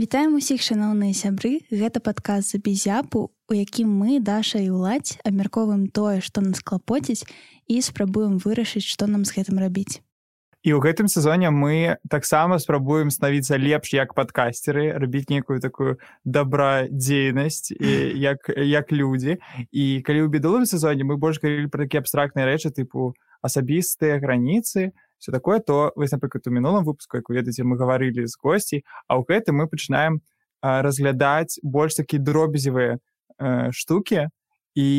Вітаем усіх, шаноўныя сябры. Гэта падкаст «Забізяпу», у якім мы, Даша і Уладзь, абмяркоўваем тое, што нас клапоціць, і спрабуем вырашыць, што нам з гэтым рабіць. І ў гэтым сезоне мы таксама спрабуем станавіцца лепш як падкастеры, рабіць нейкую такую добрадзейнасць як людзі. І калі ў бедовым сезоне мы больш говорили пра такія абстрактныя рэчы, тыпу асабістыя граніцы, все такое, то вось, напрыклад, у мінулым выпуску, як вы ведаеце, мы гаварылі з госцей, а ў гэтым мы пачынаем разглядаць больш такія дробязевыя штукі і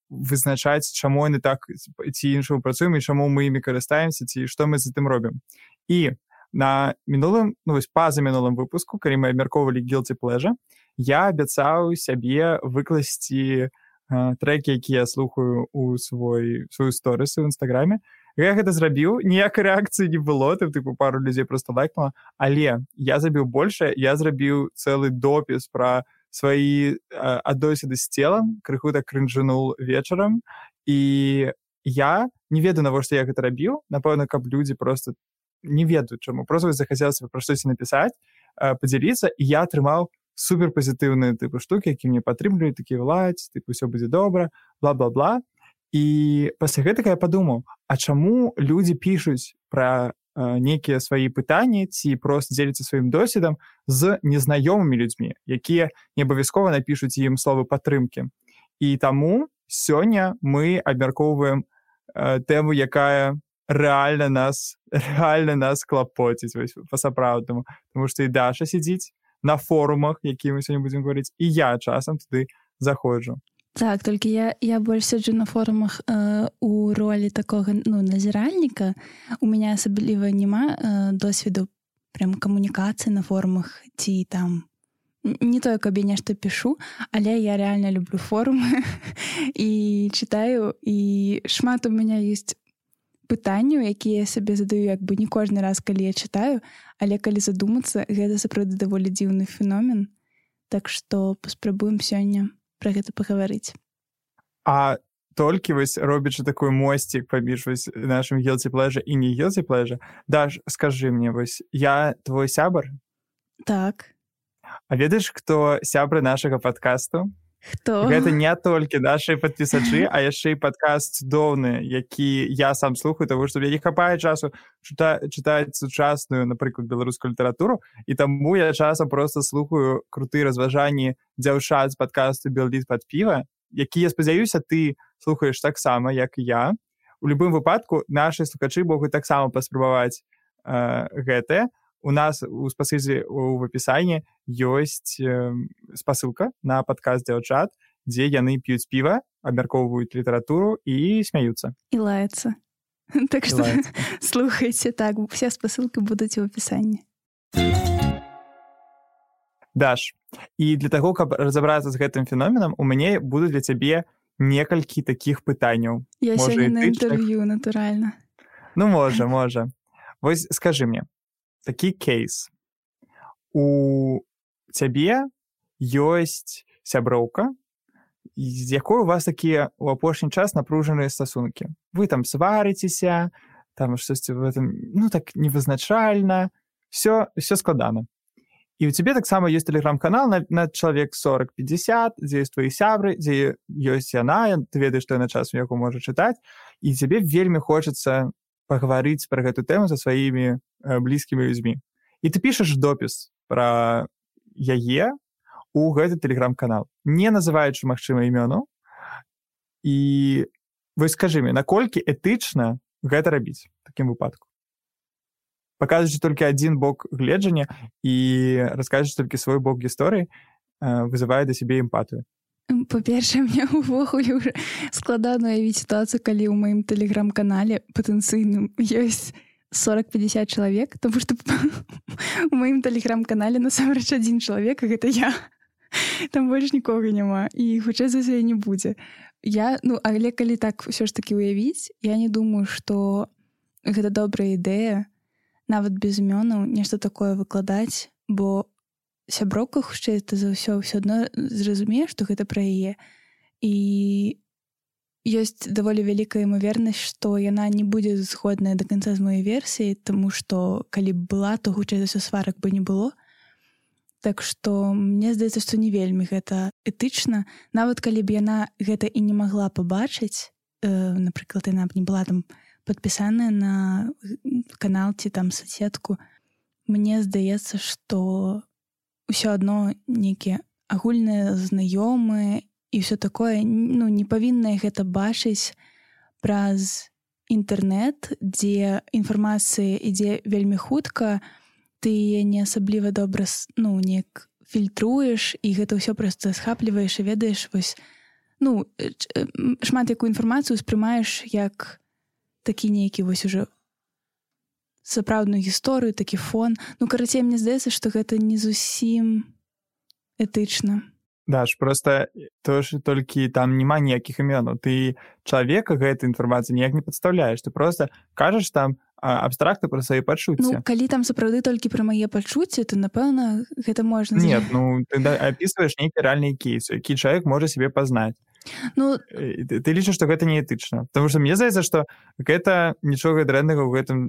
вызначаць, чаму яны так ці іншаму працуем і чаму мы імі карыстаемся, ці што мы з гэтым робім. І на мінулым, пазамінулым выпуску, калі мы абмяркоўвалі Guilty Pleasure, я абяцаў сябе выкласці трэкі, якія я слухаю ў сваю сторыс у Інстаграме. Я гэта зрабіў, ніякай рэакцыі не было, тыпу пару людзей проста лайкнула, але я забіў большае, я зрабіў цэлы допіс пра свае адносіны з целам, крыху так крынжануў вечарам, і я не ведаю, навошта я гэта рабіў, напэўна, каб людзі проста не ведаюць чаму, проста захацелася пра штосьці напісаць, падзяліцца, і я атрымаў суперпазітыўныя тыпу штукі, які мне падтрымліваюць, такі Владзь, тыпу ўсё будзе добра, бла-бла-бла. І пасля гэтага я падумаў, а чаму людзі пішуць пра нейкія свае пытанні ці проста дзеляцца сваім досведам з незнаёмымі людзьмі, якія не абавязкова напішуць ім словы падтрымкі. І таму сёння мы абмяркоўваем тэму, якая рэальна нас клапоціць па-сапраўднаму, тому што і Даша сядзіць на форумах, якія мы сёння будзем гаварыць, і я часам туды заходжу. Так, толькі я больш сяджу на форумах у ролі такога назіральніка. У мяне асабліва няма досведу прям камунікацыі на форумах ці там не тое, каб я нешта пішу, але я рэальна люблю форумы і чытаю, і шмат у мяне ёсць пытанняў, якія я сабе задаю як бы не кожны раз, калі я чытаю, але калі задумацца, гэта сапраўды даволі дзіўны феномен. Так што паспрабуем сёння пра гэта пагаварыць. А толькі робячы такой мосцік паміж нашым Guilty Pleasure і не Guilty Pleasure, Даш, скажы мне, я твой сябар? Так. А ведаеш, хто сябры нашага падкасту? Хто? Гэта не толькі нашыя падпісачы, а яшчэ і падкаст цудоўны, які я сам слухаю, таму што мне не хапае часу чытаць сучасную, напрыклад, беларускую літаратуру, і таму я часам проста слухаю крутыя разважанні дзяўчат з падкасту «Белліт пад піва», які, я спадзяюся, ты слухаеш таксама, як і я. У любым выпадку нашы слухачы могуць таксама паспрабаваць гэтае. У нас у спасылцы ў апісанні ёсць спасылка на падкаст дзяўчат, дзе яны п'юць піва, абмяркоўваюць літаратуру і смяюцца. І лаяцца. Так што слухайце, так, усе спасылкі будуць у апісанні. Даш, і для таго, каб разабрацца з гэтым феноменам, у мяне будуць для цябе некалькі такіх пытанняў. Я сёння на інтэрв'ю, натуральна. Ну, можа. Вось скажы мне, такі кейс. У цябе ёсць сяброўка, з якой у вас такія ў апошні час напружаныя стасункі. Вы там сварыцеся, там штосьці в этом, так невызначальна, все складана. І у цябе таксама ёсць тэлеграм-канал на чалавек 40-50, дзе ёсць твоі сябры, дзе ёсць яна, ты ведаеш, што яна часам яго можа чытаць, і цябе вельмі хочацца пагаварыць пра гэту тэму са сваімі блізкімі людзьмі. І ты пішаш допіс пра яе ў гэты тэлеграм-канал, не называючы, магчыма, імёну. І вось скажы мне, наколькі этычна гэта рабіць у такім выпадку? Паказваючы толькі адзін бок гледжання і расказваючы толькі свой бок гісторыі, вызывае да сябе эмпатыю. Па-першае, мне ўвогуле ўжо складана уявіць сітуацыю, калі ў маім тэлеграм-канале патэнцыйным ёсць 40-50 чалавек, тому што у маім тэлеграм-канале насамрэч адзін чалавек, а гэта я. Там больш нікога няма, і хутчэй за ўсё не будзе. Але калі так ўсё ж такі ўявіць, я не думаю, што гэта добрая ідэя, нават без імёнаў, нешта такое выкладаць, бо сяброўка, хутчэй за ўсё адно зразумее, што гэта пра яе. І ёсць даволі вялікая імавернасць, што яна не будзе згодная да канца з маёй версіяй, таму што калі б была, то хутчэй за ўсё сварак бы не было. Так што мне здаецца, што не вельмі гэта этычна. Нават калі б яна гэта і не магла пабачыць, напрыклад, яна б не была там падпісаная на канал ці там соцсетку, мне здаецца, што ўсё адно нейкія агульныя знаёмыя і ўсё такое, ну, не павінна гэта бачыць праз інтэрнэт, дзе інфармацыя ідзе вельмі хутка, ты не асабліва добра, ну, неяк фільтруеш, і гэта ўсё проста схапліваеш і ведаеш, вось, ну, шмат якую інфармацыю успрымаеш як такі нейкі вось уже сапраўдную гісторыю, такі фон. Ну, карацей, мне здаецца, што гэта не зусім этычна. Даш, просто то, что толькі там няма ніякіх імёнаў. Ты чалавека гэтай інфармацыі ніяк не падстаўляеш. Ты просто кажаш там абстрактна пра свае пачуцці. Ну, калі там сапраўды толькі пра мае пачуцці, то, напэўна, гэта можна... Нет, ну, ты апісваеш нейкі рэальны кейс, які чалавек можа себе пазнаць. Ну... Ты лічыш, што гэта не этычна. Потому што мне здаецца, што гэта нічога дрэннага ў гэтым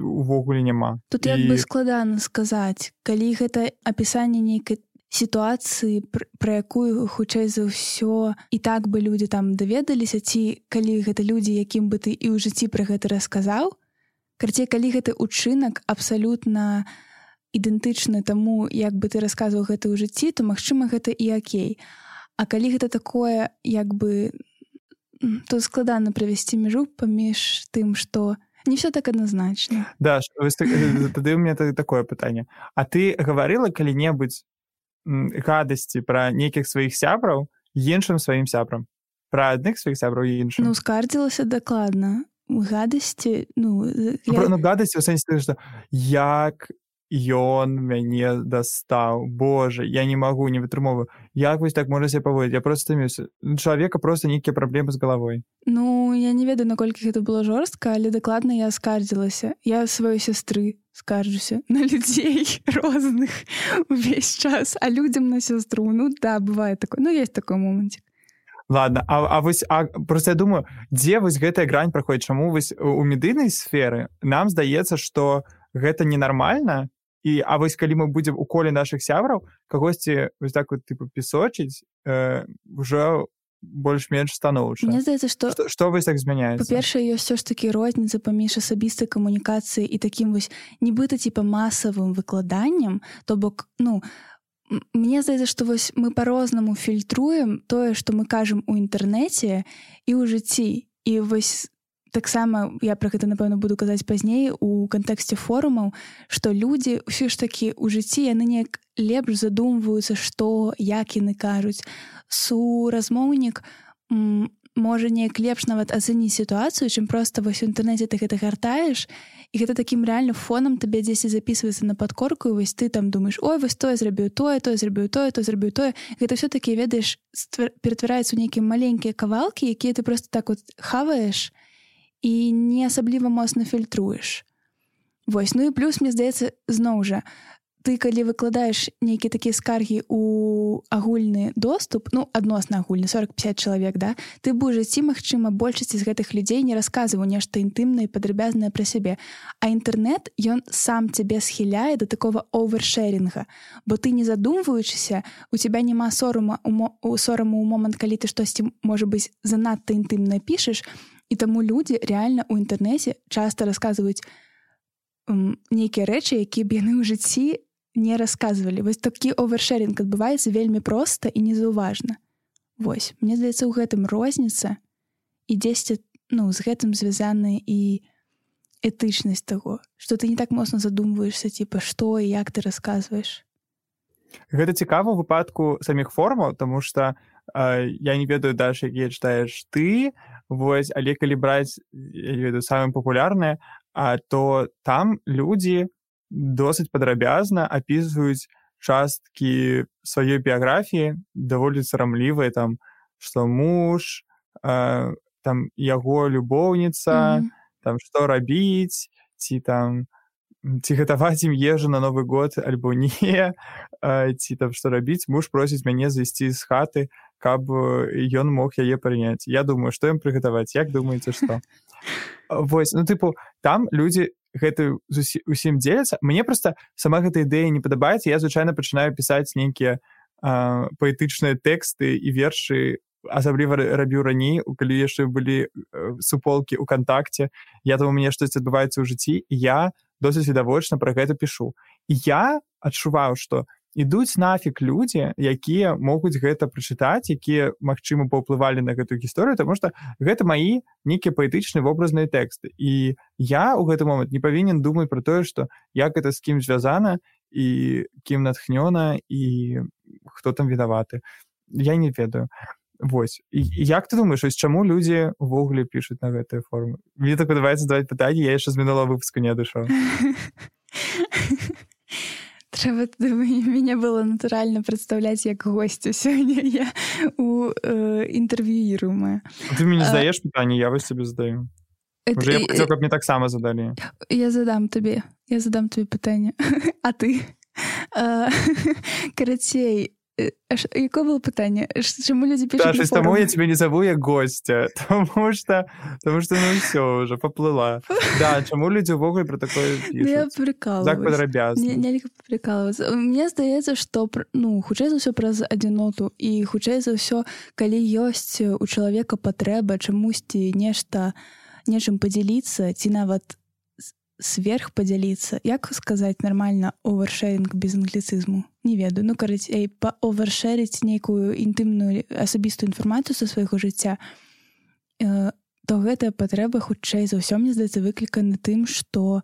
увогуле няма. Тут як бы складана сказаць. Калі гэта апісанне нейкай сітуацыі, пра якую, хутчэй за ўсё, і так бы людзі там даведаліся, ці калі гэта людзі, якім бы ты і ў жыцці пра гэта расказаў, карацей, калі гэты учынак абсалютна ідэнтычны таму, як бы ты расказваў гэта ў жыцці, то, магчыма, гэта і акей. А калі гэта такое, як бы, то складана правесці мяжу паміж тым, што не ўсё так адназначна. Даш, тады ў мяне такое пытанне. А ты гаварыла калі-небудзь гадасці пра нейкіх сваіх сябраў іншым сваім сябрам? Пра адных сваіх сябраў і іншым? Ну, скардзілася дакладна. Гадасці, ну... Ну, гадасці ў сэнсе, што як ён мяне дастаў. Боже, я не магу, не вытрымоўваю. Як вось так можа себе паводзіць? Я просто стаміўся. У чалавека просто нейкія праблемы з галавой. Ну, я не ведаю, наколькі гэта было жорстка, але дакладна я скардзілася. Я сваёй сястры скарджуся на людзей розных увесь час, а людзям на сястру. Ну, да, бывае такое. Ну, есть такой момантик. Ладно, просто я думаю, дзе вось гэтая грань праходзіць? Чаму вось у медыйнай сферы нам здаецца, што гэта ненармальна, а вось калі мы будзем у коле нашых сябраў кагосьці вось так вот типу пісочыць, уже больш-менш станоўча. Мне здаецца, што вось так змяняецца? Па-першае, ёсць ўсё ж такі розніца паміж асабістай камунікацыяй і такім вось нібыта типа масавым выкладаннем, то бок, ну, мне здаецца, што вось мы па-рознаму фільтруем тое, што мы кажам у інтэрнэце і ў жыцці. І вось таксама я пра гэта, напэўна, буду казаць пазней у кантэксце форумаў, што людзі ўсё ж такі ў жыцці яны неяк лепш задумваюцца, што, як яны кажуць. Суразмоўнік можа неяк лепш нават ацэніць сітуацыю, чым проста вось у інтэрнэце ты гэта гартаеш, і гэта такім рэальна фонам табе дзесьці запісваецца на падкорку, і вось ты там думаеш, ой, вось тое зрабіў тое, тое зрабіў тое, тое зрабіў тое. Гэта ўсё-такі, ведаеш, ператвараецца ў нейкія маленькія кавалкі, якія ты проста так вот хаваеш і не асабліва моцна фільтруеш. Вось, ну і плюс, мне здаецца, зноў жа, ты, калі выкладаеш нейкія такія скаргі ў агульны доступ, ну, адносна агульны, 40-50 чалавек, да, ты б у жыцці, магчыма, большасці з гэтых людзей не расказваў нешта інтымнае і падрабязнае пра сябе. А інтэрнэт, ён сам цябе схіляе да такога овершэрінга, бо ты, не задумваючыся, у цябе няма сораму ў момант, калі ты штосьці, можа быць, занадта інтымна пішаш, і таму людзі рэальна ў інтэрнэце часта расказваюць нейкія рэчы, якія б яны ў жыцці не расказвалі. Вось такі овершэрінг адбываецца вельмі проста і незаўважна. Вось, мне здаецца, у гэтым розніца і дзесьці, ну, з гэтым звязана і этычнасць таго, што ты не так моцна задумваешся, типа, што і як ты расказваеш. Гэта цікава ў выпадку саміх форумаў, таму што я не ведаю дальше, якія чытаеш ты, вось, але калі браць, я не ведаю, самае папулярнае, то там людзі досыць падрабязна апісваюць часткі сваёй біяграфіі, даволі сарамлівыя, там, што муж, там, яго любоўніца, там, што рабіць, ці гатаваць ім ежу на Новы год, альбо не, ці там, што рабіць, муж просіць мяне зайсці з хаты, каб ён мог яе прыняць. Я думаю, што ім прыгатаваць, як думаеце, што? Вось, ну, тыпу, там людзі гэта усім дзеляцца. Мне проста сама гэта ідэя не падабаецца. Я звычайна пачынаю пісаць нейкія паэтычныя тэксты і вершы, асабліва рабіў раней, калі яшчэ былі суполкі ў кантакце. Я думаю, мне штось адбываецца ў жыцці, і я досыць відавочна пра гэта пішу. І я адчуваў, што ідуць нафіг людзі, якія могуць гэта прачытаць, якія, магчыма, паўплывалі на гэтую гісторыю, таму што гэта маі нейкія паэтычныя вобразныя тэксты. І я ў гэты момант не павінен думаць пра тое, што як гэта з кім звязана і кім натхнёна і хто там вінаваты. Я не ведаю. Вось. І як ты думаеш, ось чаму людзі ўвогуле пішуць на гэтыя формы? Мне так падабаецца задаваць пытанні, я яшчэ з мінулага выпуску не адышоў. Трэба, мяне было натуральна прадстаўляць як госцю сёння, я інтэрв'юіруемая. Ты мне задаеш пытанні, я вось тебе задаю. Уже я хотел, каб мне таксама задалі. Я задам табе пытанне. А ты? Карацей, якое было пытанне? Чаму людзі пішуць на форумах? Таму я тебе не зову як гостя, тому что ну все, уже поплыла. Да, чаму людзі ўвогуле про такое пішуць? Я прикалываюсь. Так падрабязна. Нельга прикалываться. Мне здаецца, што хутчэй за ўсё праз адзіноту і хутчэй за ўсё, калі ёсць у чалавека патрэба чамусьці нечым падзяліцца ці нават сверх падзяліцца. Як сказаць нармальна овершэринг без англіцызму? Не ведаю. Карацей, овершэрыць нейкую інтымную асабістую інфармацыю са свайго жыцця, то гэтая патрэба хутчэй за ўсё, мне здаецца, выклікана тым, што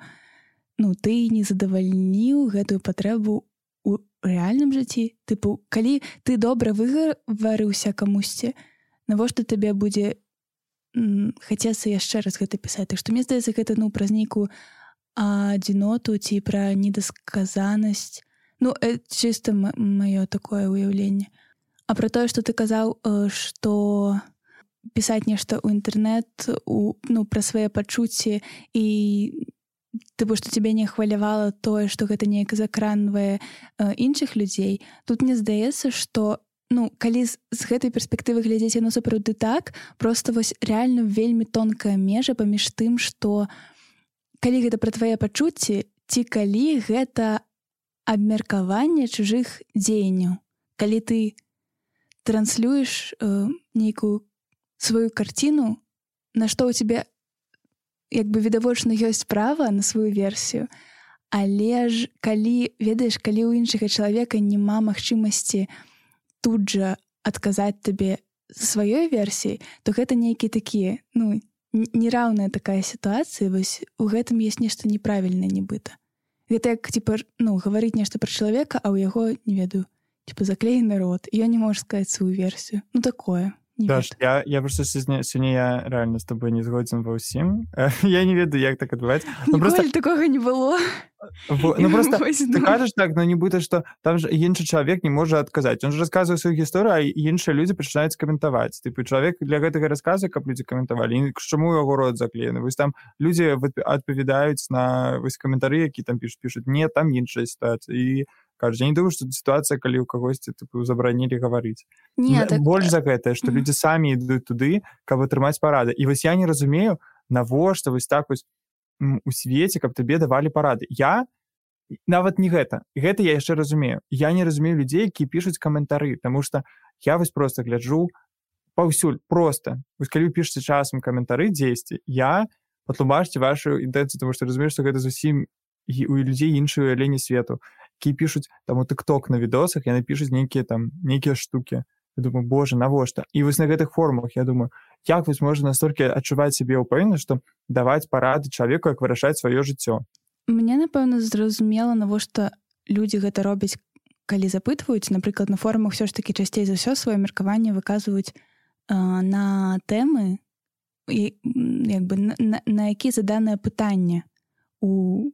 ты не задавальніў гэтую патрэбу ў рэальным жыцці. Тыпу, калі ты добра выгаварыўся камусьці, навошта табе будзе хацецца яшчэ раз гэта пісаць. Так што мне здаецца, гэта праз нейкую адзіноту ці пра недасказанасць. Чыста маё такое ўяўленне. А пра тое, што ты казаў, што пісаць нешта ў інтэрнэт, пра свае пачуцці і што цябе не хвалявала тое, што гэта неяк закранвае іншых людзей. Тут мне здаецца, што калі з гэтай перспектывы глядзець, яно сапраўды так, проста вось рэальна вельмі тонкая межа паміж тым, што калі гэта пра твае пачуцці, ці калі гэта абмеркаванне чужых дзеянняў. Калі ты транслюеш нейкую сваю карціну, на што ў цябе відавочна ёсць права на сваю версію, але ж калі, ведаеш, калі ў іншага чалавека няма магчымасці тут жа адказаць табе сваёй версіяй, то гэта нейкі такі, нераўная такая сітуацыя, вось у гэтым ёсць нешта неправільнае нібыта. Гэта як, гаварыць нешта пра чалавека, а ў яго, не ведаю, заклеены рот, і ён не можа сказаць сваю версію. Такое. Даш, я просто сёння я реально з тобой не згодзін ва ўсім. Я не ведаю, як так адбываецца. Ніколі такога не было. Просто ты кажаш так, нібыта, што там же іншы чалавек не можа адказаць. Он же расказвае сваю гісторыю, а іншыя людзі пачынаюць каментаваць. Чалавек для гэтага расказа, каб людзі каментавалі. Чаму яго рот заклеены? Вось там людзі адпавядаюць на каментары, які там пішуць. Не, там іншая сітуацыя. І кажуць, я не думаю, што сітуацыя, калі ў кагосьці забаранілі гаварыць. Больш за гэтае, што людзі самі ідуць туды, каб атрымаць парады. І вось я не разумею, навошта вось так вось у свеце, каб табе давалі парады. Я нават не гэта. Гэта я яшчэ разумею. Я не разумею людзей, якія пішуць каментары, таму што я вось проста гляджу паўсюль, проста. Вось калі вы пішаце часам каментары дзесьці, я патлумачце вашу інтэнцыю, таму што разумею, што гэта зусім у людзей іншае ўяўленне свету. Які пішуць там у TikTok на відосах, яны пішуць нейкія штукі. Я думаю, боже, навошта? І вось на гэтых форумах я думаю, як вось можна настолькі адчуваць сябе ўпэўненасць, што даваць парады чалавеку, як вырашаць сваё жыццё. Мне, напэўна, зразумела, навошта людзі гэта робяць, калі запытваюць. Напрыклад, на форумах ўсё ж такі часцей за ўсё сваё меркаванне выказваюць на тэмы, на які заданае пытанне у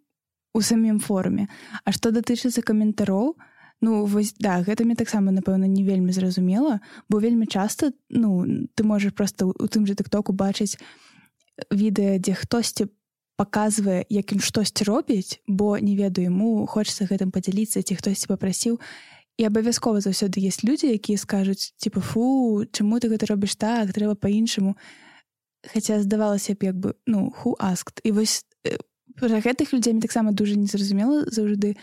самім форуме. А што датычыцца каментароў, вось, да, гэта мне таксама, напэўна, не вельмі зразумела, бо вельмі часта, ты можаш проста у тым жа TikTok бачыць відэа, дзе хтосьці паказвае, як ён штосьці робіць, бо, не ведаю, яму хочацца гэтым падзяліцца, ці хтосьці папрасіў. І абавязкова заўсёды ёсць людзі, якія скажуць, фу, чаму ты гэта робіш так, трэба па-іншаму. Хаця здавалася б, who asked? І вось Пра гэтых людзей мне таксама дужа незразумела заўжды,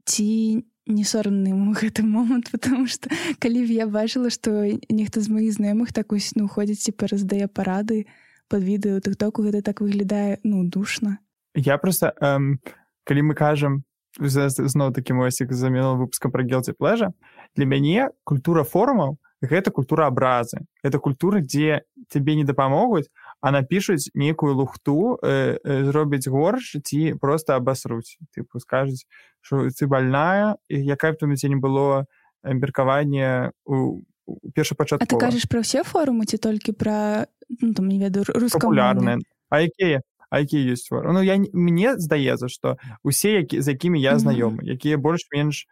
ці не сорамны ему гэты момант, потому что калі б я бачыла, што нехта з маіх знаёмых так вось, ходзіць, типа, раздае парады пад відэо ў тыктоку, гэта так выглядае, душна. Я просто, калі мы кажам, зноў такі мосік за мінулым выпускам пра guilty pleasure, для мяне культура форумаў — гэта культура абразы. Гэта культура, дзе тебе не дапамогуць, а напішуць нейкую лухту, зробяць горш ці проста абасруць. Тыпу, скажуць, што ты больная, і якая б там у цябе не было меркавання у першапачаткова. А ты кажаш пра ўсе форумы ці толькі пра, там, не ведаю, рускамоўныя? Папулярныя. А якія ёсць форумы? Мне здаецца, што усе, з якімі я знаёмы, якія больш-менш,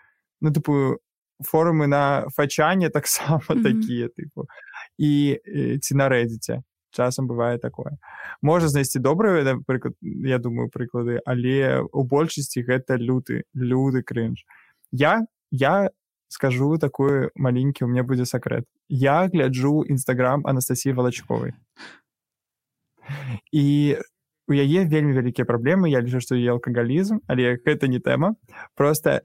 форумы на фачане таксама такія, тыпу. І ці на Reddit. Часам бывае такое. Можа знайсці добрыя, напрыклад, я думаю, прыклады, але ў большасці гэта люты крынж. Я скажу такой маленькі, у меня будзе сакрэт. Я гляджу Instagram Анастасіі Валачковай. І у яе вельмі вялікія праблемы, я лічу, што яе алкагалізм, але гэта не тэма. Просто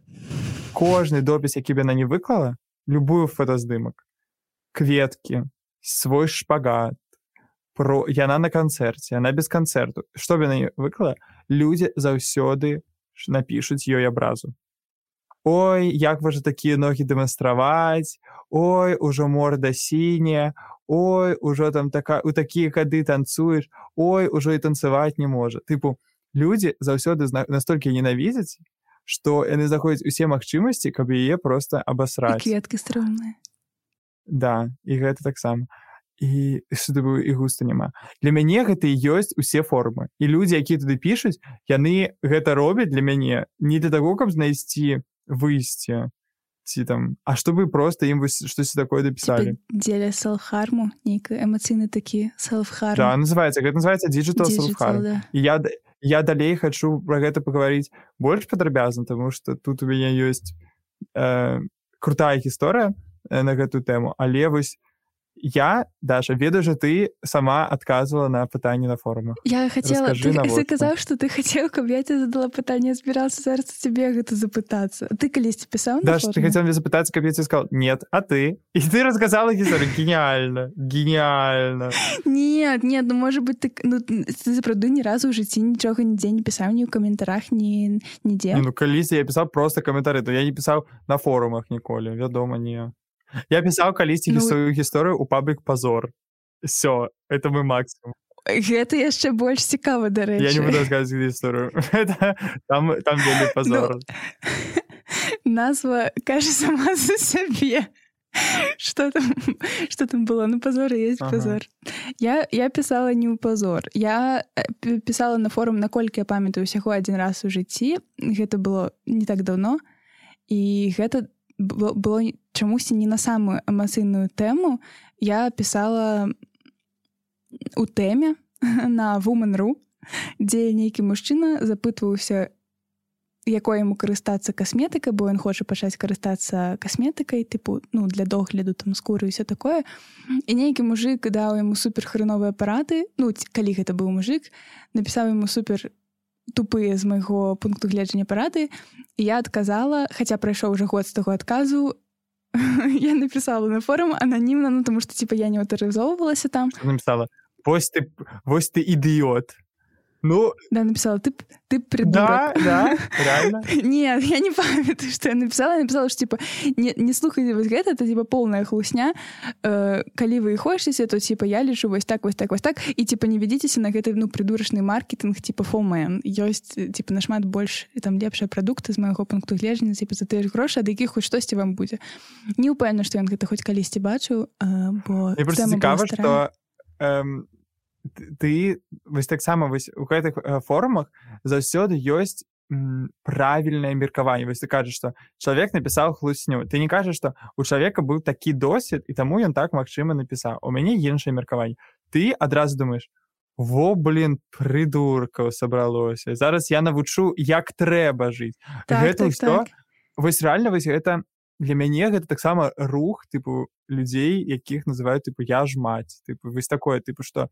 кожны допіс, які б яна не выклала, любую фотаздымак, кветкі, свой шпагат, яна на канцэрце, яна без канцэрту. Што б яна не выклала, людзі заўсёды напішуць ёй абразу. Ой, як вы ж такія ногі дэманстраваць, ой, ужо морда сіняя, ой, ужо там у такія хады танцуеш, ой, ужо і танцаваць не можа. Тыпу, людзі заўсёды настолькі ненавідзяць, што яны знаходзяць усе магчымасці, каб яе проста абасраць. І кветкі стрымныя. Да, і гэта таксама. І густа няма. Для мяне гэта і ёсць усе формы. І людзі, якія туды пішуць, яны гэта робяць для мяне не для таго, каб знайсці выйсце, ці там, а чтобы проста ім штосьці такое дапісалі. Дзеля селф-харму, нейкі эмацыйны такі селф-харм. Да, гэта называецца digital self-harm. Да. І я далей хачу пра гэта пагаварыць больш падрабязна, таму што тут у мяне ёсць крутая гісторыя на гэтую тэму, але вось я, Даша, ведаю, что ты сама отказывала на пытанне на форумах. Я хотела... Ты казаў, што ты хацеў, каб я тебе задала пытанне, збіраўся зараз тебе гэта запытацца. Ты калісьці пісаў на Даша, форумах? ты хотела мне запытацца, каб я тебе сказал, нет, а ты? И ты рассказала гісторыю. Гениально. Нет, может быть, ты запраўды ні разу ў жыцці нічога нідзе не пісаў, ні ў каментарах, нідзе. Калісьці я пісаў просто каментары, то я не пісаў на форумах ніколі, вядома, не. Я пісаў калісьці сваю гісторыю ў паблік Пазор. Всё, это мой максимум. Гэта яшчэ больш цікава, дарэчы. Я не буду рассказывать гісторыю. Там вельмі Пазор. Назва кажа сама за сябе. Что там было? Пазор і ёсць Пазор. Я пісала не ў Пазор. Я пісала на форум, наколькі я памятаю, усяго адзін раз у жыцці. Гэта было не так даўно. І гэта было чамусьці не на самую эмацыйную тэму. Я пісала у тэме на Woman.ru, дзе нейкі мужчына запытваўся, якой яму карыстацца касметыкай, бо ён хоча пачаць карыстацца касметыкай, тыпу, для догляду там скуры і ўсё такое. І нейкі мужик даў яму супер хреновыя парады, калі гэта быў мужик, напісаў яму супер тупыя з майго пункту гледжання парады, і я адказала, хаця прайшоў уже год з таго адказу, я напісала на форум ананімна, тому што я не аўтарызоўвалася там. Напісала, вось ты ідыёт. Да, написала, ты придурок. Да, реально. Нет, я не памятаю, что я написала. Я написала, что, не слухайте вось гэта, это, полная хлусня. Калі вы хочаце, то, я лічу вось так, і, не ведзіцеся на гэты, придурачны маркетинг, FOMO. Ёсць, нашмат больш, там, лепшыя прадукты з майго пункту гледжання, за тыя ж грошы, ад якіх хоць штосьці вам будзе. Не ўпэўнена, што ён гэта хоць калісьці бачыў, бо мне просто цікава, што ты вось таксама вось у гэтых форумах заўсёды ёсць правільнае меркаванне. Вось ты кажаш, што чалавек напісаў хлусню. Ты не кажаш, што у чалавека быў такі досвед, і таму ён так, магчыма, напісаў. У мяне іншае меркаванне. Ты адразу думаеш, прыдуркаў сабралося. Зараз я навучу, як трэба жыць. Гэта ўсё. Вось рэальна, вось гэта для мяне гэта таксама рух, людзей, якіх называюць, я ж маць. Вось такое, што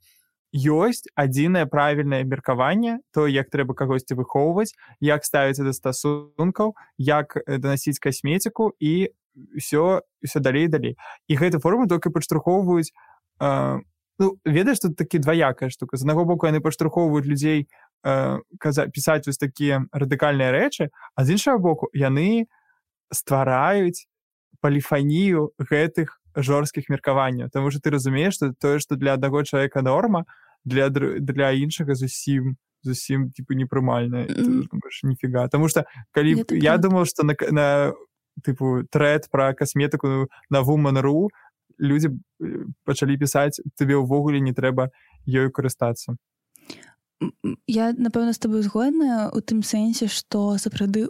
ёсць адзінае правільнае меркаванне, то як трэба кагосьці выхоўваць, як ставіцца да стасункаў, як данасіць касметику і все далей і далей. І гэту форму толькі падштурхоўваюць, ведаеш, тут такі дваякая штука. З аднаго боку, яны падштурхоўваюць людзей пісаць вось такія радыкальныя рэчы, а з іншага боку, яны ствараюць поліфанію гэтых жорсткіх меркаванняў. Таму што ты разумееш, што тое, што для аднаго чалавека норма, для іншага зусім типу непрымальна. Ніфіга. Таму што калі я думаў, што на типу трэд пра касметыку на Woman.ru людзі пачалі пісаць, табе ўвогуле не трэба ёй карыстацца. Я, напэўна, з табой згодная у тым сэнсе, што сапраўды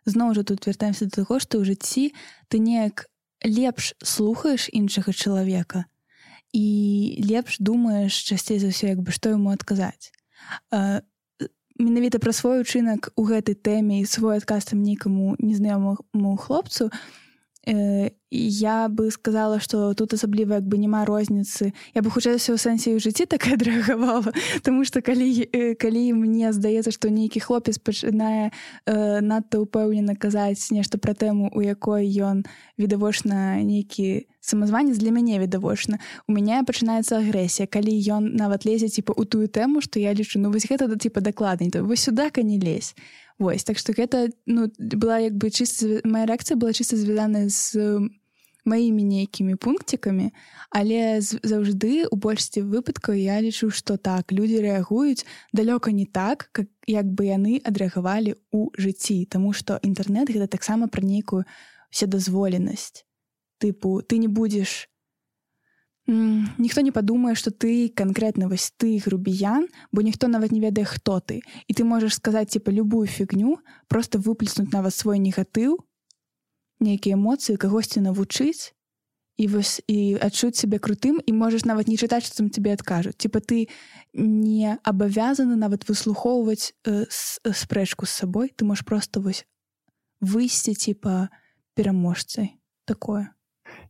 зноў жа тут вяртаемся да таго, што ў жыцці ты неяк лепш слухаеш іншага чалавека і лепш думаеш часцей за ўсё, што яму адказаць. Менавіта пра свой учынак у гэтай тэме і свой адказ там нейкаму незнаёмаму хлопцу я бы сказала, што тут асабліва няма розніцы. Я бы хутчэй у сэнсе ў жыцці так адрэагавала, таму што калі мне здаецца, што нейкі хлопец пачынае надта ўпэўнена казаць нешта пра тэму, у якой ён відавочна нейкі самазванец, для мяне відавочна, у мяне пачынаецца агрэсія, калі ён нават лезе у тую тэму, што я лічу, вось гэта дакладней, то вось сюдака не лезь. Вось, так што гэта была чыста, моя рэакцыя была чыста звязаная з маімі нейкімі пункцікамі, але заўжды у большасці выпадкаў я лічу, што так, людзі рэагуюць далёка не так, як бы яны адрэагавалі ў жыцці, таму што інтэрнэт гэта таксама пра нейкую вседазволенасць. Тыпу, ты не будзеш ніхто не падумае, што ты канкрэтна вось ты грубіян, бо ніхто нават не ведае, хто ты. І ты можаш сказаць любую фігню, просто выплеснуць нават свой негатыў, нейкія эмоцыі, кагосьці навучыць і адчуць сябе крутым, і можаш нават не чытаць, што там тебе адкажуць. Ты не абавязаны нават выслухоўваць спрэчку з сабой, ты можаш просто вось выйсці пераможцай. Такое.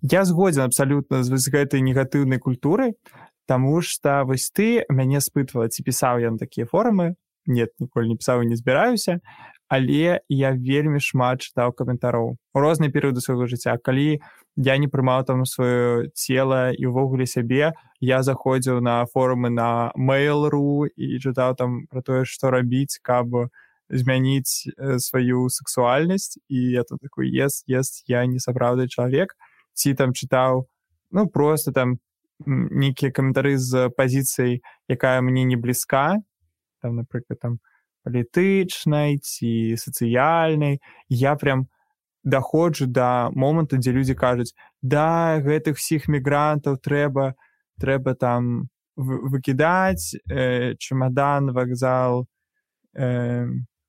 Я згодзен абсалютна з гэтай негатыўнай культурай, таму што вось ты мяне спытвала, ці пісаў я на такія форумы. Нет, ніколі не пісаў і не збіраюся, але я вельмі шмат чытаў каментароў у розныя перыяды свайго жыцця. Калі я не прымаў там сваё цела і ўвогуле сябе, я заходзіў на форумы на Mail.ru і чытаў там пра тое, што рабіць, каб змяніць сваю сексуальнасць, і я тут такой, я не сапраўдны чалавек. Ці там чытаў, просто там нейкія каментары з пазіцыяй, якая мне не блізка, там, напрыклад, там, палітычнай ці сацыяльнай. Я прям даходжу да моманту, дзе людзі кажуць, да, гэтых всіх мігрантаў трэба там выкідаць, чемадан, вакзал,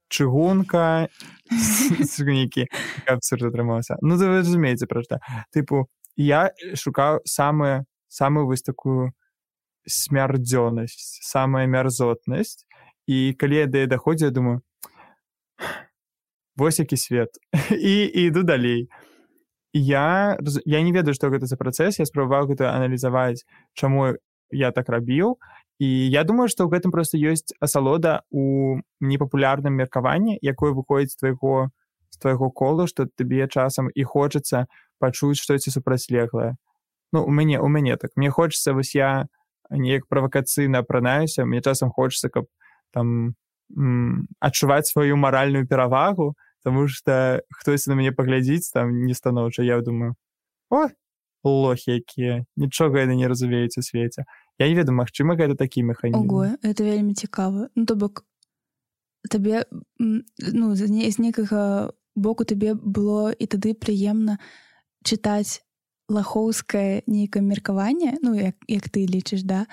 чыгунка, нейкі абсурд атрымаўся. Вы разумееце, пра што. Я шукаў самую вось такую смярдзёнасць, самая мярзотнасць, і калі я да яе даходзіў, я думаю, вось які свет. І іду далей. Я не ведаю, што гэта за працэс, я спрабаваў гэта аналізаваць, чаму я так рабіў, і я думаю, што ў гэтым проста ёсць асалода ў непапулярным меркаванні, якое выходзіць з твайго кола, што табе часам і хочацца пачуць штосьці супрацьлеглае. У мяне так. Мне хочацца, вось я неяк правакацыйна апранаюся, мне часам хочацца, каб там адчуваць сваю маральную перавагу, таму што хтосьці на мяне паглядзіць там нестаноўча. Я думаю, лохі якія, нічога яны не разумеюць у свеце. Я не ведаю, магчыма, гэта такі механізм. Ого, это вельмі цікава. То бок, табе, з некага боку табе было і тады прыемна чытаць лахоўскае нейкае меркаванне, як ты лічыш, да?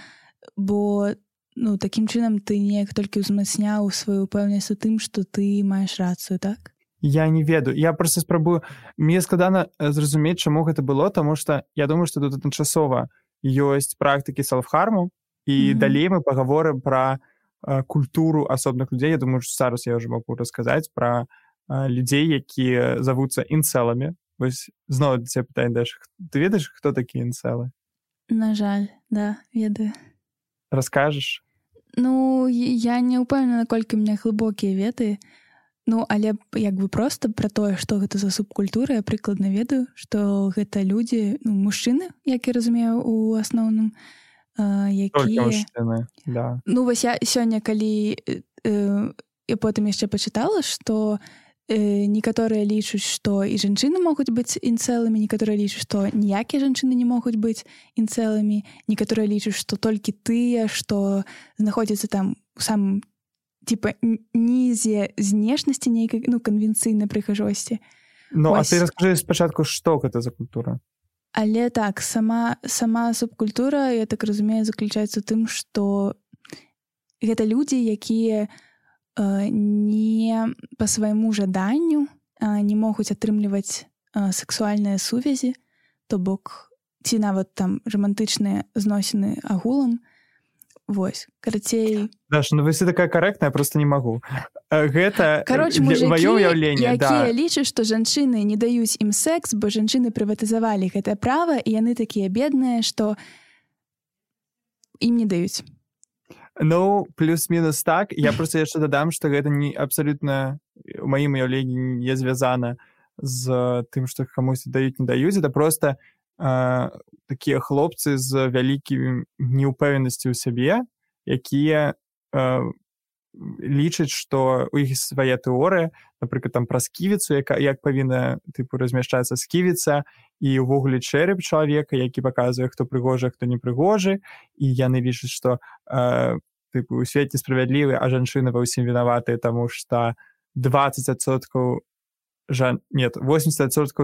Бо, такім чынам ты неяк толькі ўзмацняў сваю ўпэўненасць у тым, што ты маеш рацыю, так? Я не ведаю. Я проста спрабую. Мне складана зразумець, чаму гэта было, таму што я думаю, што тут адначасова ёсць практыкі селф-харму, і далей мы пагаворым пра культуру асобных людзей. Я думаю, што зараз я ўжо магу расказаць пра людзей, якія завуцца інцэламі. Вось зноў да цябе пытанне, Даша, ты ведаеш, хто такія інцэлы? На жаль, да, ведаю. Раскажаш? Ну, я не ўпэўнена, наколькі ў мяне глыбокія веды. Ну, але як бы проста пра тое, што гэта за субкультура, я прыкладна ведаю, што гэта людзі, ну, мужчыны, як я разумею, у асноўным, Толькі якія... мужчыны, да. Ну, вось я сёння, калі я потым яшчэ пачытала, што некаторыя лічуць, што і жанчыны могуць быць інцэламі, некаторыя лічуць, што ніякія жанчыны не могуць быць інцэламі, некаторыя лічуць, што толькі тыя, што знаходзяцца там у самым типа нізе знешнасці нейкай, ну, канвенцыйнай прыгажосці. Ну, а ты раскажы спачатку, што гэта за культура? Але так, сама субкультура, я так разумею, заключаецца ў тым, што гэта людзі, якія не па свайму жаданню не могуць атрымліваць сексуальныя сувязі, то бок ці нават там рамантычныя зносіны агулам. Вось, карацей... Даша, ну вы все такая карэктная, просто не магу. Гэта маё ўяўленне, якія лічаць, што жанчыны не даюць ім секс, бо жанчыны прыватызавалі гэтае права, і яны такія бедныя, што ім не даюць. Ну, плюс-мінус так. Я просто яшчэ дадам, што гэта не абсалютна у маім уяўленні не звязана з тым, што камусьці даюць, не даюць. Это просто такія хлопцы з вялікім неўпэўненасцю ў сябе, якія лічаць, што у іх свая тэорыя, напрыклад, там пра сківіцу, як павінна тыпу размяшчацца сківіца, і ўвогуле чэрап чалавека, які паказвае, хто прыгожы, хто не прыгожы, і яны лічаць, што тыпу свет несправядлівы, а жанчыны ва ўсім вінаватыя, таму што 80%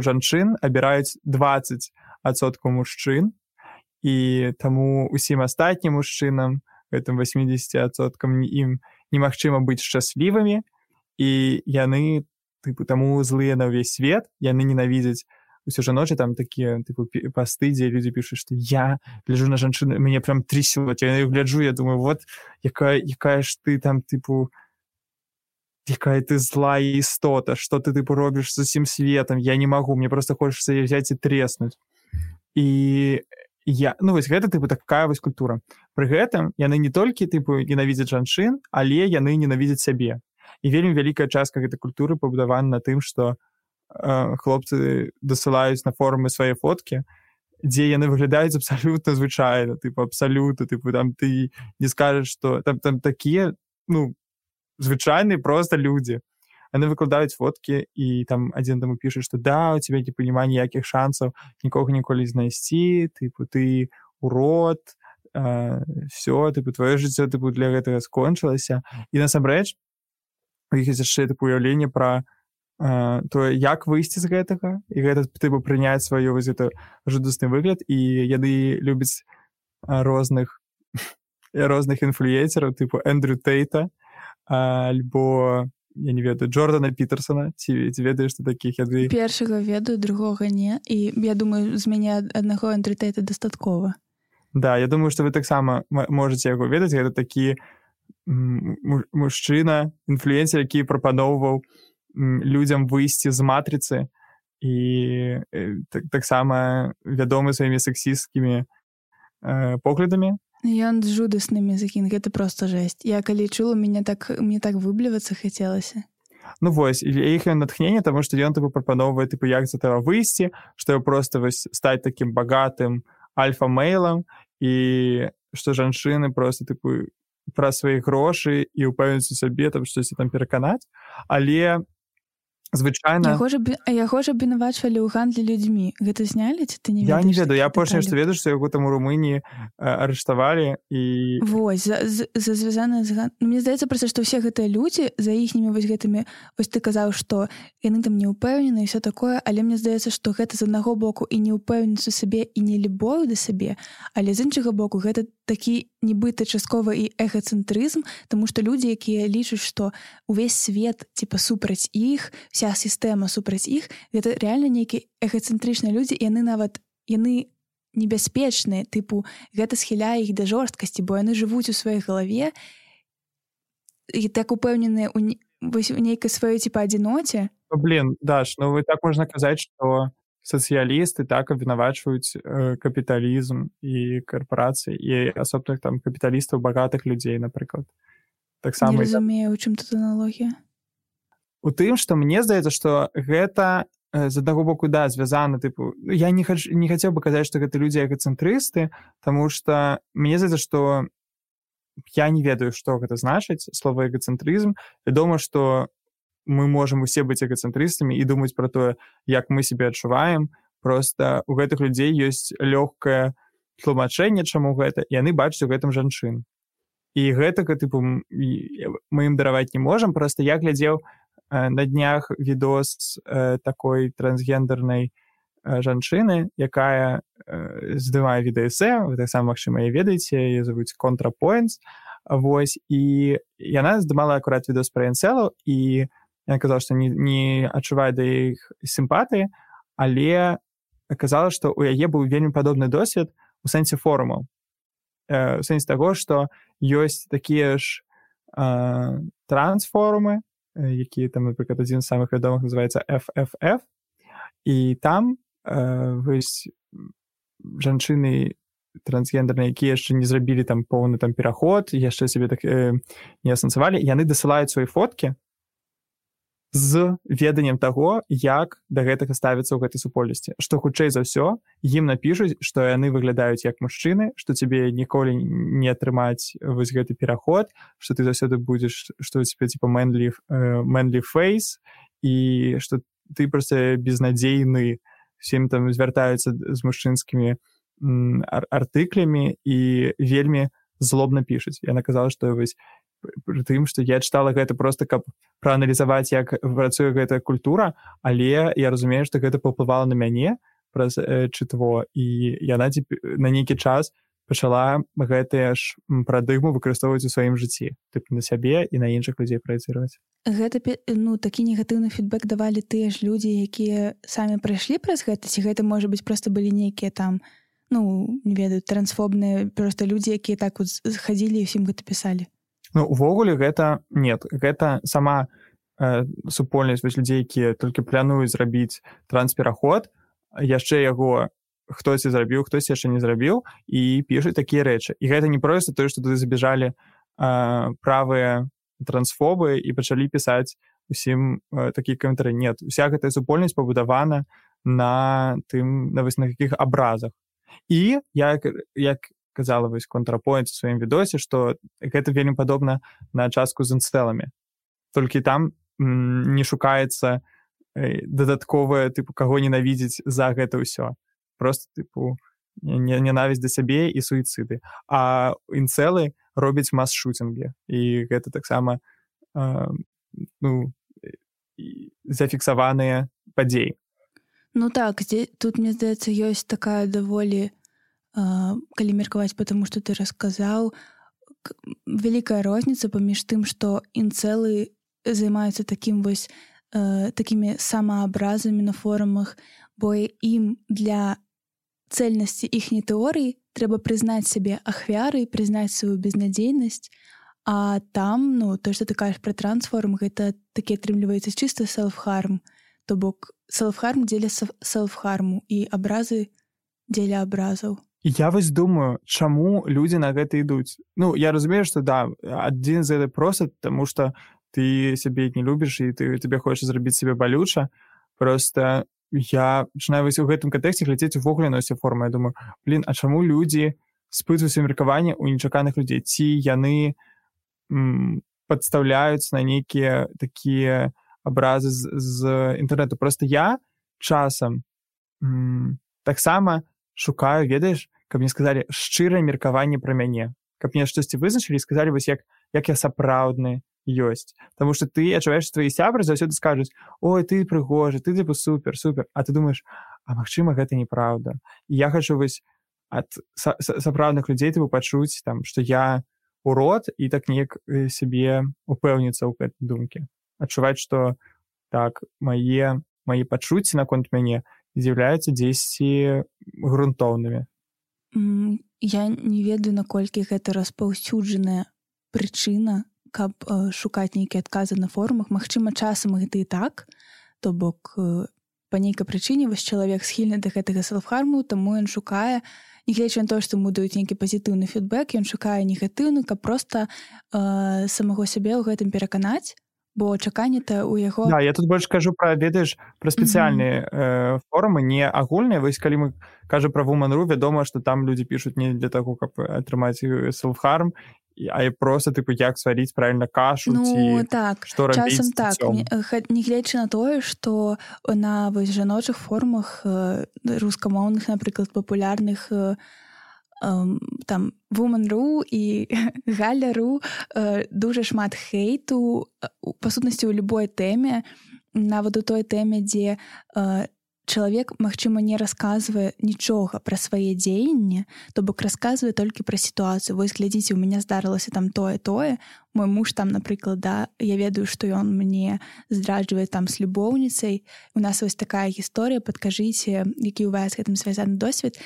жанчын абіраюць 20% мужчын, і таму ўсім астатнім мужчынам, гэтым 80% ім немагчыма быць шчаслівымі, і яны тыпу таму злыя на ўвесь свет, яны ненавідзяць усё жаночы, там такія тыпу пасты, дзе людзі пішуць, што я гляджу на жанчыну, мяне прям трясёт, я гляджу, я думаю, вот якая ж ты там тыпу, якая ты злая істота, што ты тыпу робіш з усім светам, я не магу, мне просто хочацца взяць і треснуць. І ну вось гэта тыпу такая вось культура. Пры гэтым яны не толькі тыпу ненавідзяць жанчын, але яны ненавідзяць сябе. І вельмі вялікая частка гэтай культуры пабудавана на тым, што хлопцы дасылаюць на форумы свае фоткі, дзе яны выглядаюць абсалютна звычайна, тыпу абсалютна, тыпу там ты не скажаш, што там такія, ну, звычайныя проста людзі. Яны выкладаюць фоткі, і там адзін таму піша, што да, у тебя типу няма ніякіх шансаў нікога ніколі знайсці, тыпу ты урод, всё, тыпу твоё жыццё тыпу для гэтага скончылася. І насамрэч у іх ёсць яшчэ тыпу уяўленне пра тое, як выйсці з гэтага, і гэта тыпу прыняць сваю вось гэта жудасны выгляд, і яны любяць розных інфлюенсераў, тыпу Эндрю Тейта, альбо я не ведаю, Джордана Пітерсона, ці ведаеш ты такіх? Першага ведаю, другога не, і я думаю, з мяне аднаго Эндрю Тейта дастаткова. Да, я думаю, што вы таксама можаце яго ведаць, гэта такі мужчына, інфлюенсер, які прапаноўваў людзям выйсці з матрыцы, і таксама вядомы сваімі сексісцкімі поглядамі. Ён з жудаснымі закін, гэта проста жэсць. Я калі чула, мне так выблівацца хацелася. Ну вось, іх натхненне, таму што ён тыпу прапаноўвае, тыпу, як з этого выйсці, што проста вось стаць такім багатым альфа-мейлам, і што жанчыны проста тыпу пра свае грошы і ўпэўніць у сабе, там штосьці там пераканаць, але звычайна... Яго ж абвінавачвалі ў гандлі людзьмі. Гэта знялі, ці ты не ведаеш? Я не ведаю, я апошняе, што ведаю, што яго там у Румыніі арыштавалі, і... Вось, звязана з гандлем. Мне здаецца проста, што ўсе гэтыя людзі за іхнімі вось гэтымі... Вось ты казаў, што яны там не ўпэўнены і ўсё такое, але мне здаецца, што гэта з аднаго боку і неўпэўненасць у сабе, і не любоў да сабе, але з іншага боку гэта такі нібыта часткова і эгацэнтрызм, таму што людзі, якія лічаць, што ўвесь свет типа супраць іх, вся сістэма супраць іх, гэта рэальна нейкія эгацэнтрычныя людзі, і яны небяспечныя, тыпу гэта схіляе іх да жорсткасці, бо яны жывуць у сваёй галаве і так упэўненыя у нейкай сваёй типа адзіноце. Блин, Даш, ну вы так можна казаць, што сацыялісты так абвінавачваюць капіталізм і карпорацыі і асобных там капіталістаў багатых людзей, напрыклад. Не разумею, у чым тут аналогія? У тым, што мне здаецца, што гэта з аднаго боку, да, звязана, тыпу, я не хацеў бы казаць, што гэта людзі эгацэнтрысты, таму што мне здаецца, што я не ведаю, што гэта значыць, слова эгацэнтрызм. Вядома, што мы можам усе быць эгацэнтрыстамі і думаць пра тое, як мы сябе адчуваем. Проста у гэтых людзей ёсць лёгкае тлумачэнне, чаму гэта, і яны бачаць у гэтым жанчын. І гэтага, тыпу, мы ім дараваць не можам. Проста я глядзеў на днях відос такой трансгендернай жанчыны, якая здымае відэаэсэ, вы таксама, магчыма, яе ведаеце, яе завуць ContraPoints. Вось, і яна здымала акурат відос пра інцэлаў, і яна казала, што не адчувае да іх сімпатыі, але казала, што ў яе быў вельмі падобны досвед у сэнсе форумаў. У сэнсе таго, што ёсць такія ж трансфорумы, якія там, напрыклад, адзін з самых вядомых называецца FFF, і там вось жанчыны трансгендерныя, якія яшчэ не зрабілі там поўны там пераход, яшчэ сябе так не асэнсавалі, яны дасылаюць свае фоткі з веданнем таго, як да гэтага ставіцца ў гэтай супольнасці. Што хутчэй за ўсё, ім напішуць, што яны выглядаюць як мужчыны, што цябе ніколі не атрымаць вось гэты пераход, што ты заўсёды будзеш, што у цябе типа manly face, і што ты проста безнадзейны, всім там звяртаюцца з мужчынскімі артыклямі і вельмі злобна пішуць. Яна казала, што вось пры тым, што я чытала гэта проста, каб прааналізаваць, як працуе гэтая культура, але я разумею, што гэта паўплывала на мяне праз чытво, і яна на нейкі час пачала гэтыя ж парадыгму выкарыстоўваць у сваім жыцці, на сябе і на іншых людзей праецыраваць. Гэта, такі негатыўны фідбэк давалі тыя ж людзі, якія самі прайшлі праз гэта, ці гэта, можа быць, проста былі нейкія там, не ведаю, трансфобныя проста людзі, якія так вот хадзілі і ўсім гэта пісалі? Увогуле гэта нет, гэта сама супольнасць вось людзей, якія толькі плануюць зрабіць транспераход, яшчэ яго хтосьці зрабіў, хтось яшчэ не зрабіў, і пішуць такія рэчы. І гэта не проста тое, што туды забежалі правыя трансфобы і пачалі пісаць усім такія каментары. Нет, уся гэтая супольнасць пабудавана на какіх абразах. І як казала вось ContraPoints у сваім відосе, што гэта вельмі падобна на частку з інцэламі. Толькі там не шукаецца дадатковае, каго ненавідзець за гэта ўсё. Проста, ненавісць да сябе і суіцыды. А інцэлы робяць мас-шутінгі. І гэта таксама зафіксаваныя падзеі. Так, тут, мне здаецца, ёсць такая даволі, калі меркаваць па таму, што ты расказаў, вялікая розніца паміж тым, што інцэлы займаюцца такімі самаабразамі на форумах, бо ім для цэльнасці іхняй тэорыі трэба прызнаць сябе ахвярай, прызнаць сваю безнадзейнасць, а там, то, што ты кажаш пра трансфорум, гэта такі атрымліваецца чыста селф-харм, то бок селф-харм дзеля селф-харму і абразы дзеля абразаў. Я вось думаю, чаму людзі на гэта ідуць. Я разумею, што да, адзін з гэта проста, таму што ты сябе не любіш і тебе хочаш зрабіць сябе балюча. Проста я пачынаю вось у гэтым кантэксце глядзець увогуле на ўсе формы. Я думаю, а чаму людзі спытваюць меркаванне ў нечаканых людзей? Ці яны падстаўляюць на нейкія такія абразы з інтэрнэту? Проста я часам таксама шукаю, ведаеш, каб мне сказалі шчырае меркаванне пра мяне, каб мне штосьці вызначылі і сказалі вось як я сапраўдны ёсць. Таму што ты адчуваеш, што твои сябры заўсёды скажуць: ой, ты прыгожы, ты супер, а ты думаеш, а магчыма гэта неправда. І я хачу вось ад сапраўдных людзей пачуць там, што я урод, і так неяк сябе упэўніцца ў гэтай думкі. Адчуваць, што так, мае пачуцці наконт мяне з'яўляюцца дзесьці грунтоўнымі. Я не ведаю, наколькі гэта распаўсюджаная прычына, каб шукаць нейкія адказы на форумах. Магчыма, часам гэта і так, то бок па нейкай прычыне вось чалавек схільны да гэтага селф-харму, таму ён шукае, нягледзячы на тое, што ему даюць нейкі пазітыўны фідбэк, ён шукае негатыўны, каб проста самого сябе ў гэтым пераканаць, бо чаканне-то у яго... Да, я тут больш кажу пра, ведаеш, пра спецыяльныя форумы, не агульныя. Вось калі мы кажам пра Woman.ru, вядома, што там людзі пішуць не для таго, каб атрымаць селф-харм, а і проста, тыпу, як сваріць правільна кашу, ці так, што рабіць часам з так, нягледзячы на тое, што на вось жаночых форумах рускамоўных, напрыклад, папулярных там Woman.ru і Галя.ru дуже шмат хейту, па сутнасці ў любой тэме, нават у той тэме, дзе чалавек, магчыма, не расказвае нічога пра свае дзеянні, то бок расказвае толькі пра сітуацыю. Вось глядзіце, у мяне здарылася там тое, мой муж там, напрыклад, да, я ведаю, што ён мне здраджвае там з любоўніцай, у нас вось такая гісторыя, падкажыце, які у вас гэтым звязаны досвед.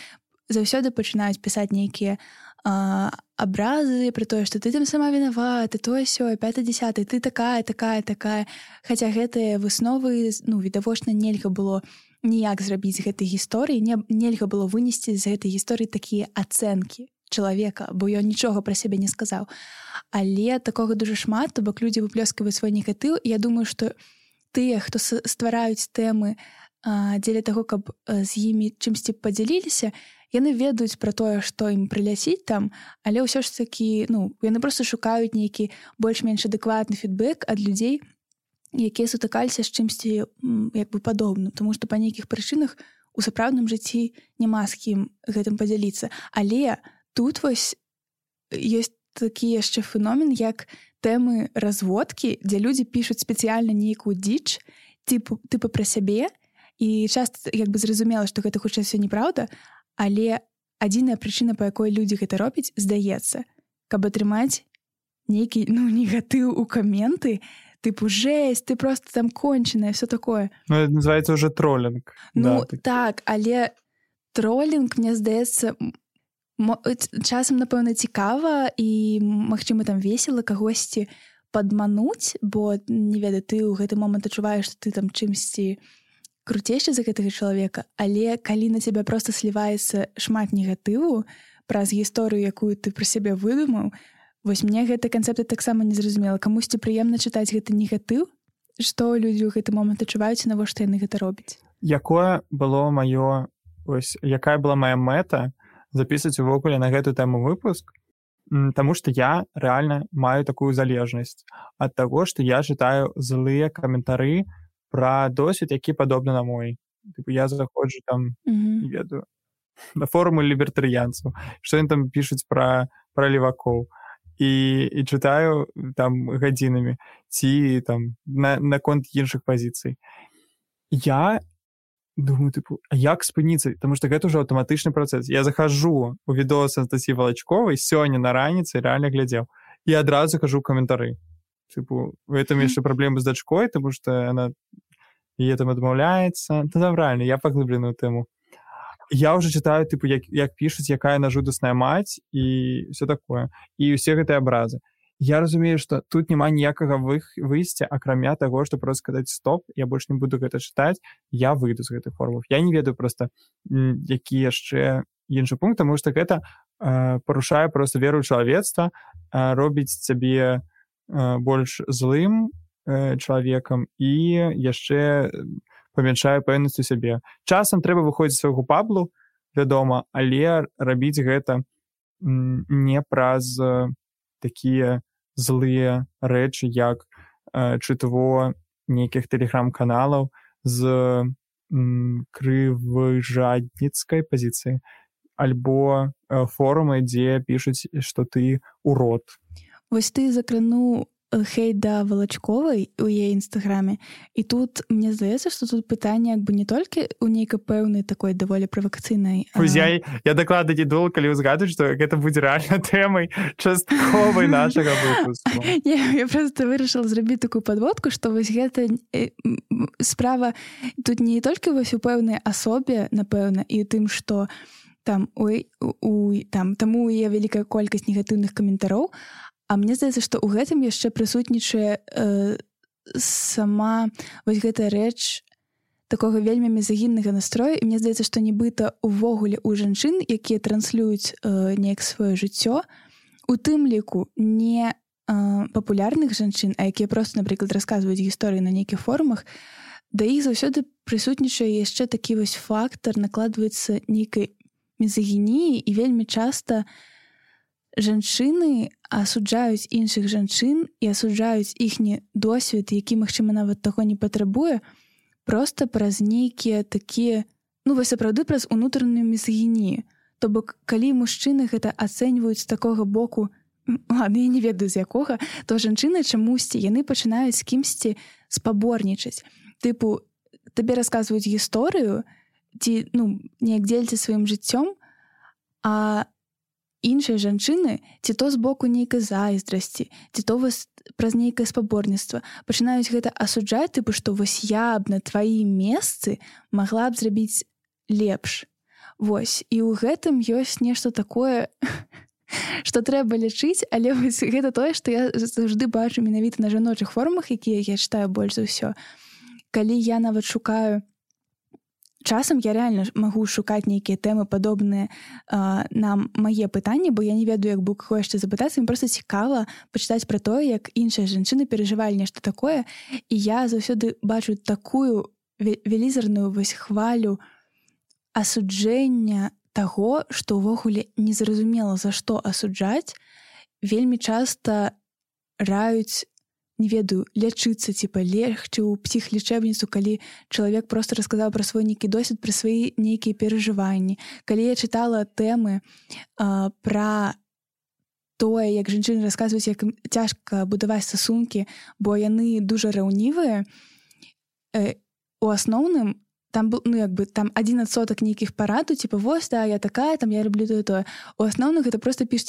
Заўсёды пачынаюць пісаць нейкія абразы пра тое, што ты там сама вінавата, тое-сёе, 5-10, ты такая. Хаця гэтыя высновы, відавочна, нельга было ніяк зрабіць з гэтай гісторыі, нельга было вынесці з гэтай гісторыі такія ацэнкі чалавека, бо ён нічога пра сябе не сказаў. Але такога дуже шмат, то бок людзі выплёскваюць свой негатыў, і я думаю, што тыя, хто ствараюць тэмы дзеля таго, каб з імі чымсьці падзяліліся, яны ведаюць пра тое, што ім прыляціць там, але ўсё ж такі, яны проста шукаюць нейкі больш-менш адэкватны фідбэк ад людзей, якія сутыкаліся з чымсьці як бы падобным, тому што па нейкіх прычынах у сапраўдным жыцці няма з кім гэтым падзяліцца. Але тут вось ёсць такі яшчэ феномен, як тэмы разводкі, дзе людзі пішуць спецыяльна нейкую дзіч, тыпу пра сябе, і часта як бы зразумела, што гэта хутчэй ўсё неправда, але адзіная прычына, па якой людзі гэта робяць, здаецца, каб атрымаць нейкі негатыў у каменты, тыпу жесть, ты просто там конченая, все такое. Это называецца уже троллінг. Так, але троллінг, мне здаецца, часам, напэўна, цікава і, магчыма, там весела кагосьці падмануць, бо, не ведаю, ты ў гэты момант адчуваеш, што ты там чымсьці круцейшы за гэтага чалавека, але калі на цябе проста сліваецца шмат негатыву праз гісторыю, якую ты пра сябе выдумаў, вось мне гэта канцэпты таксама не зразумела. Камусьці прыемна чытаць гэты негатыў? Што людзі ў гэты момант адчуваюць, навошта яны гэта робяць? Якая была мая мэта запісаць увогуле на гэту тэму выпуск? Таму што я рэальна маю такую залежнасць ад таго, што я чытаю злыя каментары пра досвед, які падобны на мой. Я заходжу там, не ведаю, на форумы лібертарыянцаў, што яны там пішуць пра левакоў. І чытаю там гадзінамі ці там наконт іншых пазіцый. Я думаю, а як спыніцца? Таму што гэта ўжо аўтаматычны працэс. Я захожу у відос Анастасіі Валачковай, сёння на раніцы рэальна глядзеў, і адразу кажу каментары. У этом яшчэ праблемы з дачкой, таму што яна яе там адмаўляецца. Правильно, я паглыбленую тэму. Я уже читаю, як пишуть, якая она жудасная мать і все такое. І усе гэтыя абразы. Я разумею, што тут няма ніякага выйсця, акрамя таго, што просто сказаць стоп, я больш не буду гэта чытаць, я выйду з гэтых форумаў. Я не ведаю просто, які яшчэ іншы пункт, таму што гэта парушае просто веру ў чалавецтва, робіць цябе больш злым чалавекам і яшчэ памяншае пэўнасць у сябе. Часам трэба выходзіць з свайго паблу, вядома, але рабіць гэта не праз такія злыя рэчы, як чытво нейкіх тэлеграм-каналаў з крывыжадніцкай пазіцыі, альбо форумы, дзе пішуць, што ты урод. Вось ты закрануў хейт да Валачковай у яе інстаграме, і тут мне здаецца, што тут пытанне як бы не толькі ў нейкай пэўнай такой даволі правакацыйнай. Я дакладна не думала, калі ўзгадваць, што гэта будзе рэальна тэмай частковай нашага выпуску. Я просто вырашыла зрабіць такую падводку, што вось гэта справа тут не толькі вось у пэўнай асобе, напэўна, і тым, што там таму є вялікая колькасць негатыўных каментароў, а мне здаецца, што ў гэтым яшчэ прысутнічае сама вось гэтая рэч такога вельмі мізагіннага настрою, і мне здаецца, што нібыта увогуле у жанчын, якія транслююць неяк сваё жыццё, у тым ліку не папулярных жанчын, а якія проста, напрыклад, расказваюць гісторыі на нейкіх форумах, да іх заўсёды прысутнічае яшчэ такі вось фактар, накладваецца нейкай мізагініі, і вельмі часта жанчыны асуджаюць іншых жанчын і асуджаюць іхні досвед, які, магчыма, нават таго не патрабуе, проста праз нейкія такія, вось сапраўды праз унутраную мізагінію. То бок, калі мужчыны гэта ацэньваюць з такога боку, ладно, я не ведаю з якога, то жанчыны чамусьці, яны пачынаюць з кімсьці спаборнічаць. Тыпу, табе расказваюць гісторыю, ці, неяк дзеліцца сваім жыццём, а іншыя жанчыны, ці то з боку нейкай зайздрасці, ці то вось праз нейкае спаборніцтва, пачынаюць гэта асуджаць, тыпу, што вось я б на тваім месцы магла б зрабіць лепш. Вось, і ў гэтым ёсць нешта такое, што трэба лічыць, але вось гэта тое, што я заўжды бачу менавіта на жаночых форумах, якія я чытаю больш за ўсё. Калі я нават шукаю, часам я рэальна магу шукаць нейкія тэмы падобныя на мае пытанні, бо я не ведаю, як бы каго яшчэ запытацца, мне проста цікава пачытаць пра тое, як іншыя жанчыны перажывалі нешта такое, і я заўсёды бачу такую велізарную вось хвалю асуджэння таго, што ўвогуле незразумела, за што асуджаць, вельмі часта раюць, не ведаю, лячыцца, легчы ў псіхлечэбніцу, калі чалавек проста расказаў пра свой нейкі досвед, пра свае нейкія перажыванні. Калі я чытала тэмы пра тое, як жанчыны расказваюць, як цяжка будаваць стасункі, бо яны дужа раўнівыя, у асноўным там был, там 1% нейкіх параду, вось, да, я такая, там, я люблю тое. У асноўных гэта проста піш,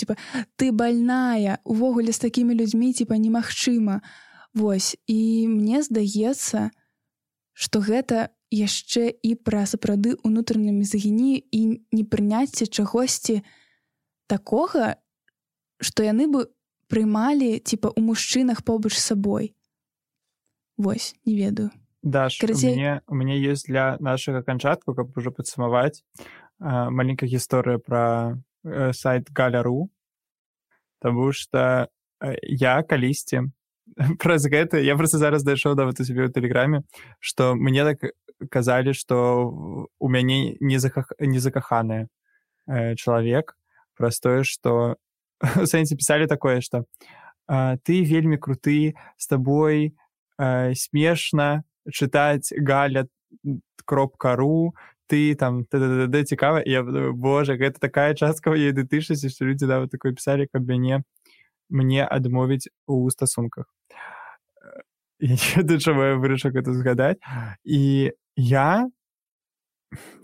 ты больная, увогуле з такімі людзьмі, немагчыма. Вось, і мне здаецца, што гэта яшчэ і пра сапраўды унутраную мізагінію і непрыняцце чагосьці такога, што яны бы прымалі, у мужчынах побач з сабой. Вось, не ведаю. Даш, у меня есть для наших окончатков, как уже подсумовать, маленькая история про сайт Галя.ру, потому что я калісьці праз гэта, я просто зараз дайшоў да вот у себе ў Тэлеграме, што мне так казалі, што у мяне незакаханы чалавек, праз тое, што у сэнсе пісалі такое, што ты вельмі круты, з табой смешна чытаць Галя.ру, ты там цікава, і я думаю, боже, гэта такая частка моей ідэнтычнасці, што людзі нават такое пісалі, каб мне адмовіць у стасунках. Я не ведаю, чаму я вырашыў гэта згадаць. І я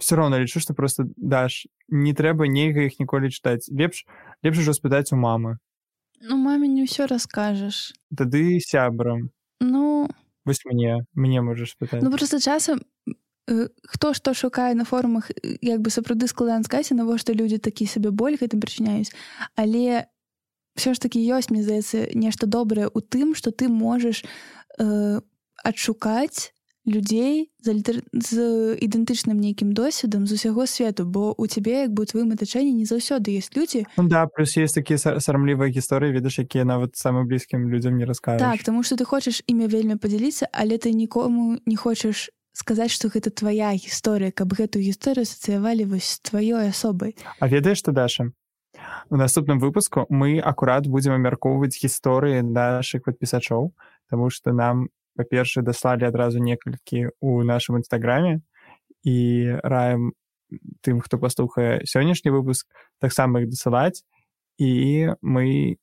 все роўна лічу, што проста, Даш, не трэба нельга іх ніколі чытаць. Лепш ужо спытаць у мамы. Маме не ўсё раскажаш. Тады сябрам. Вось мне можаш пытаць. Проста часам хто што шукае на форумах, як бы сапраўды складана сказаць, навошта людзі такі сабе боль гэтым прычыняюць. Але ўсё ж такі ёсць, мне здаецца, нешта добрае ў тым, што ты можаш адшукаць людзей з ідэнтычным нейкім досведам з усяго свету, бо у цябе, як бы у тваім атачэнні не заўсёды ёсць людзі. Да, плюс есть такія сарамлівыя гісторыі, ведаш, якія нават самым блізкім людзям не раскажаш. Так, таму што ты хочаш імі вельмі падзяліцца, але ты нікому не хочаш сказаць, што гэта твая гісторыя, каб гэтую гісторыю асацыявалі вось з тваёй асобай. А ведаеш што, Даша? У наступным выпуску мы акурат будзем абмяркоўваць гісторыі нашых падпісачоў, таму што нам, па-першае, даслалі адразу некалькі ў нашым інстаграме, і раім тым, хто паслухае сённяшні выпуск, таксама іх дасылаць, і мы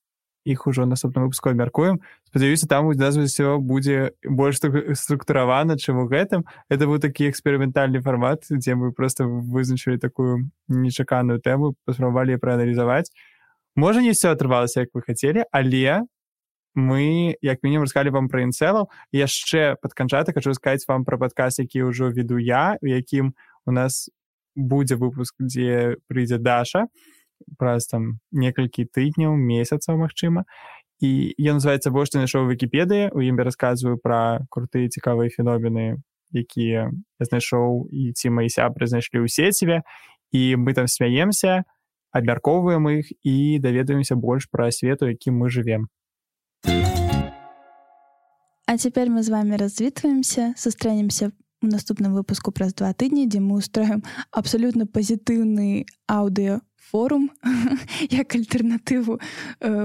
іх ужо ў наступным выпуску абмяркуем. Спадзяюся, там у нас усё будзе больш структуравана, чым у гэтым. Это быў такі эксперыментальны фармат, дзе мы проста вызначылі такую нечаканую тэму, паспрабавалі прааналізаваць. Можа, не ўсё атрымалася, як вы хацелі, але мы, як мінімум, расказалі вам пра інцэлаў. Яшчэ пад канчатак хачу сказаць вам пра падкаст, які ўжо веду я, у якім у нас будзе выпуск, дзе прыйдзе Даша праз там некалькі тыдняў, месяцаў, магчыма. І ён называецца «Бо што знайшоў у Вікіпедыі». У ім я расказваю пра крутыя цікавыя феномены якія я знайшоў, і ці мои сябры знайшлі ў сеціве, і мы там смяемся, абмяркоўваем іх і даведаемся больш пра свет, у якім мы жывем. А цяпер мы з вами развітваемся, сустрэнемся у наступным выпуску праз 2 тыдні, дзе мы устроім абсалютна пазітыўны аўдыёфорум як альтэрнатыву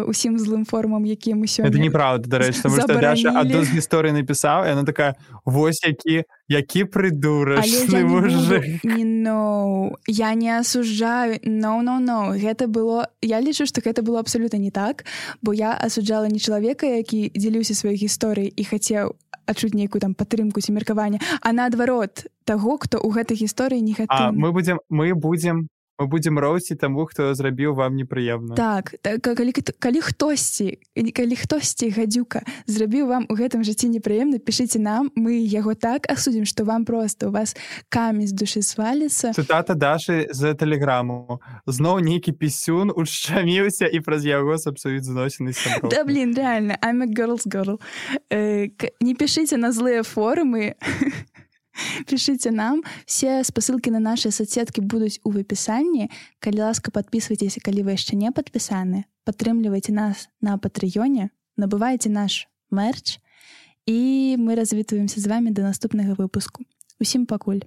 усім злым форумам, якія мы сёння Это неправда, дарэчы, таму што Даша адну з гісторый напісаў, і яна такая: вось які прыдурачны мужик. Я не асуджаю. No. Гэта было... Я лічу, што гэта было абсалютна не так, бо я асуджала не чалавека, які дзеліўся сваёй гісторыяй і хацеў адчуць нейкую там падтрымку ці меркаванне, а наадварот таго, хто ў гэтай гісторыі негатыўны. Мы будзем роўсціць таму, хто зрабіў вам непрыемна. Так, калі хтосьці гадзюка зрабіў вам у гэтым жыцці непрыемна, пішыце нам, мы яго так асудзім, што вам проста у вас камень з душы сваліцца. Цытата Дашы з тэлеграму. Зноў нейкі пісюн ушчаміўся і праз яго сапсуюць зносіны сяброў. Да, блин, реально, I'm a girl's girl. Не пішыце на злыя форумы. Пишите нам. Все спасылкі на наши соцсеткі будуць у апісанні. Калі ласка, подписывайтесь, калі вы яшчэ не падпісаны. Падтрымлівайце нас на Патрэёне, набывайце наш мерч, і мы развітваемся з вами до наступнага выпуску. Усім пакуль.